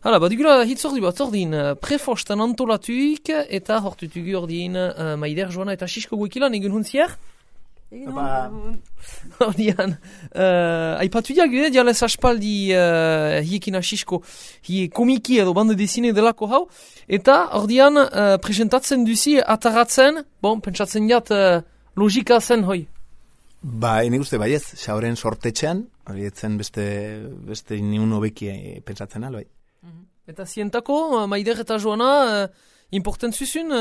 Hala, badugula hitzordi bat ordin prefostan antolatuik eta hortutugu ordin Maider, Joana eta Sisko guekilan egun huntziar? Ordian, aipatu diagu, dialez aspaldi hiekina Sisko, hie komiki edo bande desine delako hau, eta ordian presentatzen duzi ataratzen, pentsatzen jat logika zen hoi. Ene uste baiez, xauren sortetxean, hori etzen beste niun hobeki pentsatzen albai. Eta zientako, Maider eta Joana, important zuzun,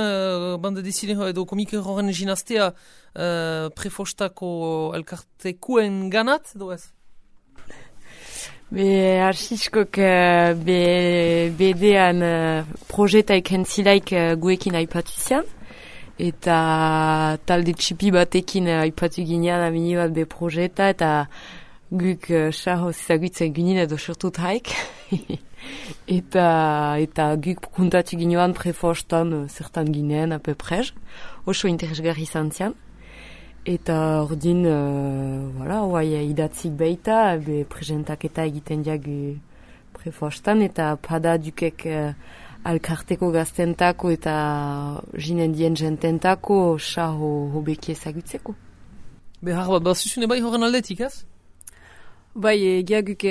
bande desine edo komiki horren ginaztea prefostako elkartekuen ganat, edo ez? Arsiskok bedean projetaik hentzilaik guekin aipatu zian. Eta talde txipi batekin aipatu ginean amini bat be projeta eta guk xahoz zagutzen ginen edo sortut haik. eta guk kontatu ginean prefostan zertan ginen apeprej. Oso interesgarri izan zian. Eta ordin, idatzik baita, presentaketa egiten diagu prefostan eta pada dukek alkarteko gaztentako eta jinendien jententako xaho hobeki ezagutzeko. Behar bat, bazuzune bai horren aldetik, ez? Bai, geaguk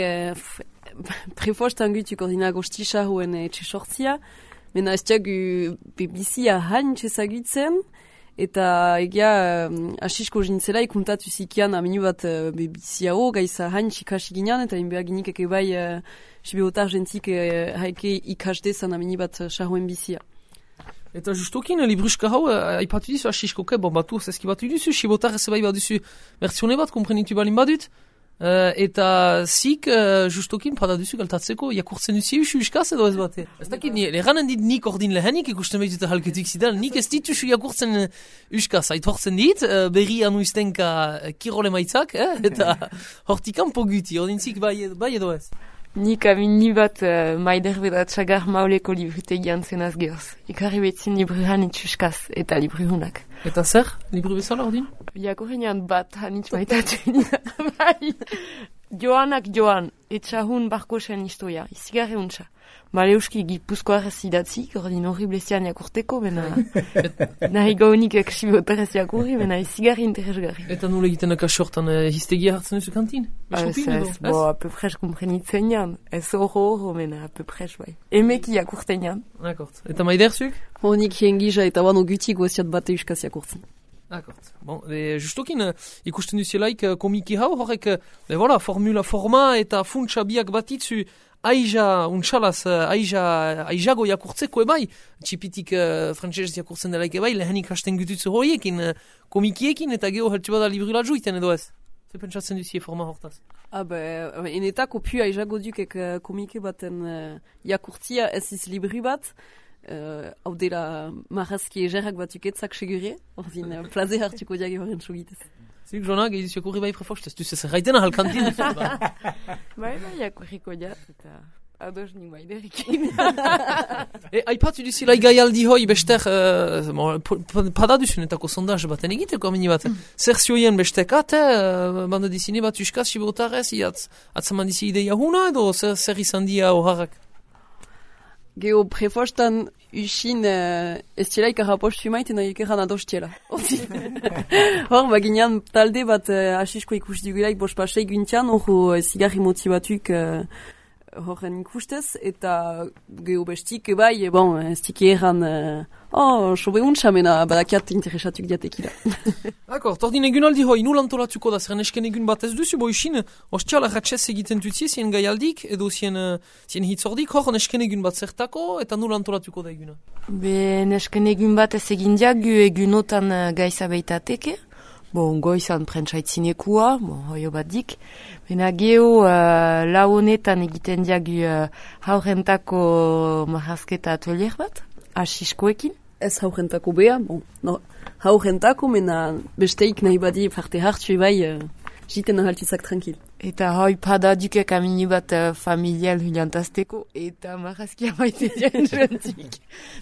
prefostan gutuk ordina gosti xahoen etxe sortzia, mena ez diagu bebizia haintz ezagutzen, eta egia asisko jintzela ikuntatu zikian aminu bat bebiziao, gaiza haintz ikasi ginean, eta inbea ginik eke bai sibeotar jentik haike ikasdezan amini bat xahoen bizia. Eta justokin, libruska hau, aipatu dizu asiskoke, batu zeskibatu duzu, sibeotar ez bai baduzu versione bat, komprenitu balin badut, eta zik, justokin, pada duzu galtatzeko, jakurtzen duzi uskaz edo ez bate? Ez dakit, leranen dit nik ordin lehenik ikusten behitute halketik zidan, nik ez dituzu jakurtzen uskaz, aitortzen dit, berri anuiztenka kirole maitzak, eta hortikan poguti, ordin zik bai edo ez? Nik amini bat Maider beda txagar mauleko librutegian zenaz gehoz. Ikarri betzin libru hanitz uskaz eta libru hunak. Eta zer? Libru bezala ordin? Jakorrenean bat hanitz maitatu nina. Bai. Joanak Joan, etxahun barkosen historia, izigarri untsa. Maleuski gipuzkoarez idatzik, ordin horriblezian jakurteko, bena nahi gaunik eksibotarez jakurri, bena izigarri interesgarri. Eta nule egiten akasortan histegia hartzen duzu kantin? Ez, apepres komprenitzen jan. Ez horro, bena apepres bai. Emeki jakurten jan. Akort. Eta Maiderzuk? Honik hiengija eta bano gutik goziat bate uskaz jakurtzen. Akort. Justokin ikusten duzielaik komiki hau, horrek, forma eta funtsa biak batitzu aijago jakurtzeko ebai, txipitik frantzesez jakurtzen delaik ebai, lehenik hasten gututzu horiekin, komikiekin eta geho heltsu bada librula juiten edo ez? Ze pentsatzen duzie forma hortaz? Enetako pu aijago dukek komike baten jakurtzia ez iz libri bat, hau dela marrazki egerak batuk etzak segurie, ordin plaze hartuko diage horren sugitez. Zik, Joana, gehiz jakurri bai prefostez, duz ez erraitena halkantin. Bai, jakurriko diat, eta ados nik Maiderekin. Aipatu duzila gaialdi hoi bestek, pada duzunetako sondaz baten egiteko amini bat. Zer zioien bestek, banda dizine bat uskaz, sibotarez, atzaman dizi ideia huna edo zer izan dia horrak? Geo prefostan usin ez txelaik arrapostu maiten nahi ekeran ados txela. Hor, baginean talde bat asisko ikus digulaik bospasei guntian, hor zigarri motibatuk horren ikustez, eta geo bestik bai, ez tiki erran sobe untsa mena badakiat interesatuk diatekila. Akor, tordin egun aldi hoi, nul antolatuko da, zeren esken egun bat ez duzu, usin, ostial ratxez egiten tutzi, zien gaialdik, edo zien hitzordik, hor nesken egun bat zertako, eta nul antolatuko da eguna? Nesken egun bat ez egin diagu egunotan gaiza beitateke, goizan prentsaitzinekua, hoio bat dik. Bena geho lau honetan egiten diagu haurentako marrazketa atelier bat, asiskoekin. Ez haurentako beha, haurentako, mena besteik nahi badi parte hartu bai, jiten ahaltuzak tranquil. Eta hoi pada dukek amini bat familial huliantazteko, eta marrazkia maite dien jentik.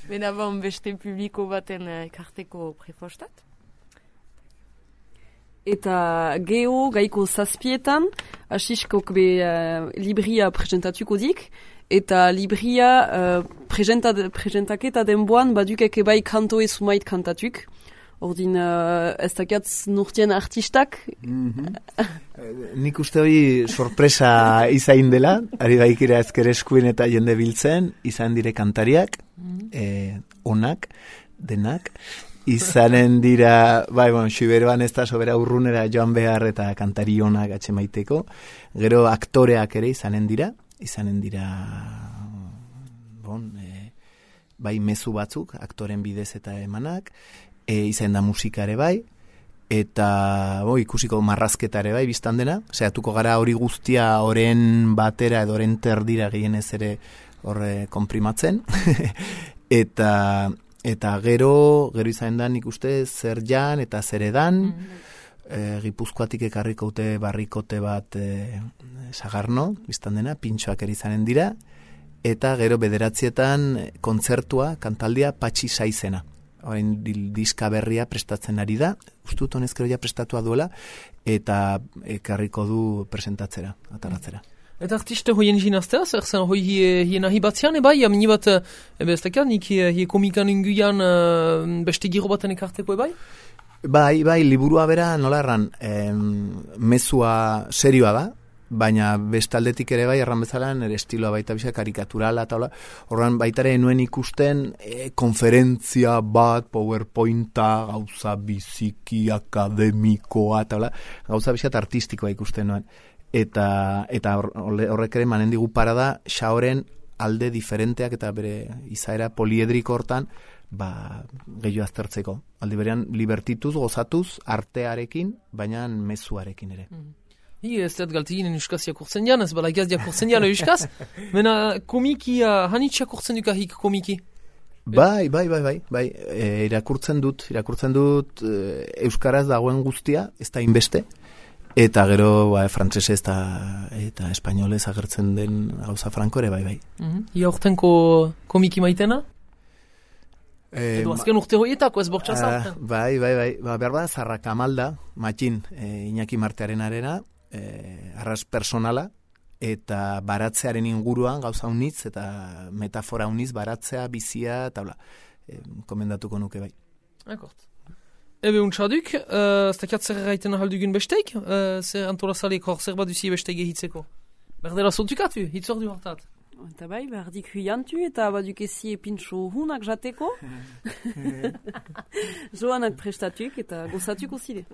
Bena beste publiko baten ekarteko prefostat. Eta geho gaiko zazpietan, asiskok libria presentatuko dik, eta libria presentaketa denboan badukeke bai kantoe sumait kantatuk. Ordin ez dakiatz nurtien artistak. Nik uste hori sorpresa izain dela, ari baikira ezker eskuen eta jende biltzen, izan dire kantariak, onak, denak, izanen dira, bai, Xiberoan ez da sobera urrunera joan behar eta kantari onak atxemaiteko, gero aktoreak ere izanen dira, bai mezu batzuk, aktoren bidez eta emanak, izan da musikare bai, eta ikusiko marrazketare bai biztan dena, zehatuko gara hori guztia oren batera edo oren terdira gehienez ere horre konprimatzen, eta gero izan da nik uste zer jan eta zer edan, Gipuzkoatik ekarriko ute barrikote bat Sagarno, biztan dena, pintxoak ere izanen dira, eta gero 9 kontzertua, kantaldia Patxi Saizena. Orain diska berria prestatzen ari da, ustut honezkero ja prestatua duela, eta ekarriko du presentatzera, ataratzera. Eta artiste hoien jinaztea, zer zen hoi hien ahi batzean, bai, amini bat, ez dakar, nik hie komikan inguian beste giro baten ekarteko, bai? Bai, liburua bera, nola erran, mezua serioa da, baina bestaldetik ere bai, erran bezala, nire estiloa baita bisa, karikaturala, eta hola, horren baitare nuen ikusten konferentzia bat, powerpointa, gauza biziki, akademikoa, eta hola, gauza bisa artistikoa ikusten nuen. Eta horrek ere manen digu parada, xaoren alde diferenteak eta bere izaera poliedriko hortan, gehiago aztertzeko. Aldi berean, libertituz, gozatuz, artearekin, baina mezuarekin ere. Ez dut galteginen euskaz jakurtzen jan, ez bala gaz jakurtzen jan euskaz. Mena komiki, hanitz jakurtzen duk ahik komiki? Bai, irakurtzen dut euskaraz dagoen guztia, ez da inbeste, eta gero frantsesez eta espainolez agertzen den gauza franko ere, bai. Ia urtenko komiki maitena? Edo azken urte horietako ez bortxazartan? Bai, behar bada Zarrakamalda, Matxin, Iñaki Martearen arena, arras personala, eta baratzearen inguruan gauza unitz, eta metafora unitz, baratzea, bizia, eta komendatuko nuke bai. Akort. Ebe untxaduk, ez dakiat zer erraiten ahaldugun besteik, zer antolazalek hor zer bat duzi besteik ehitzeko. Berdela zontukatu, hitz hor du hartat. Eta bai, berdik huiantu eta baduk ezi pintxo hunak jateko. Joanak prestatuk eta gozatuk osile.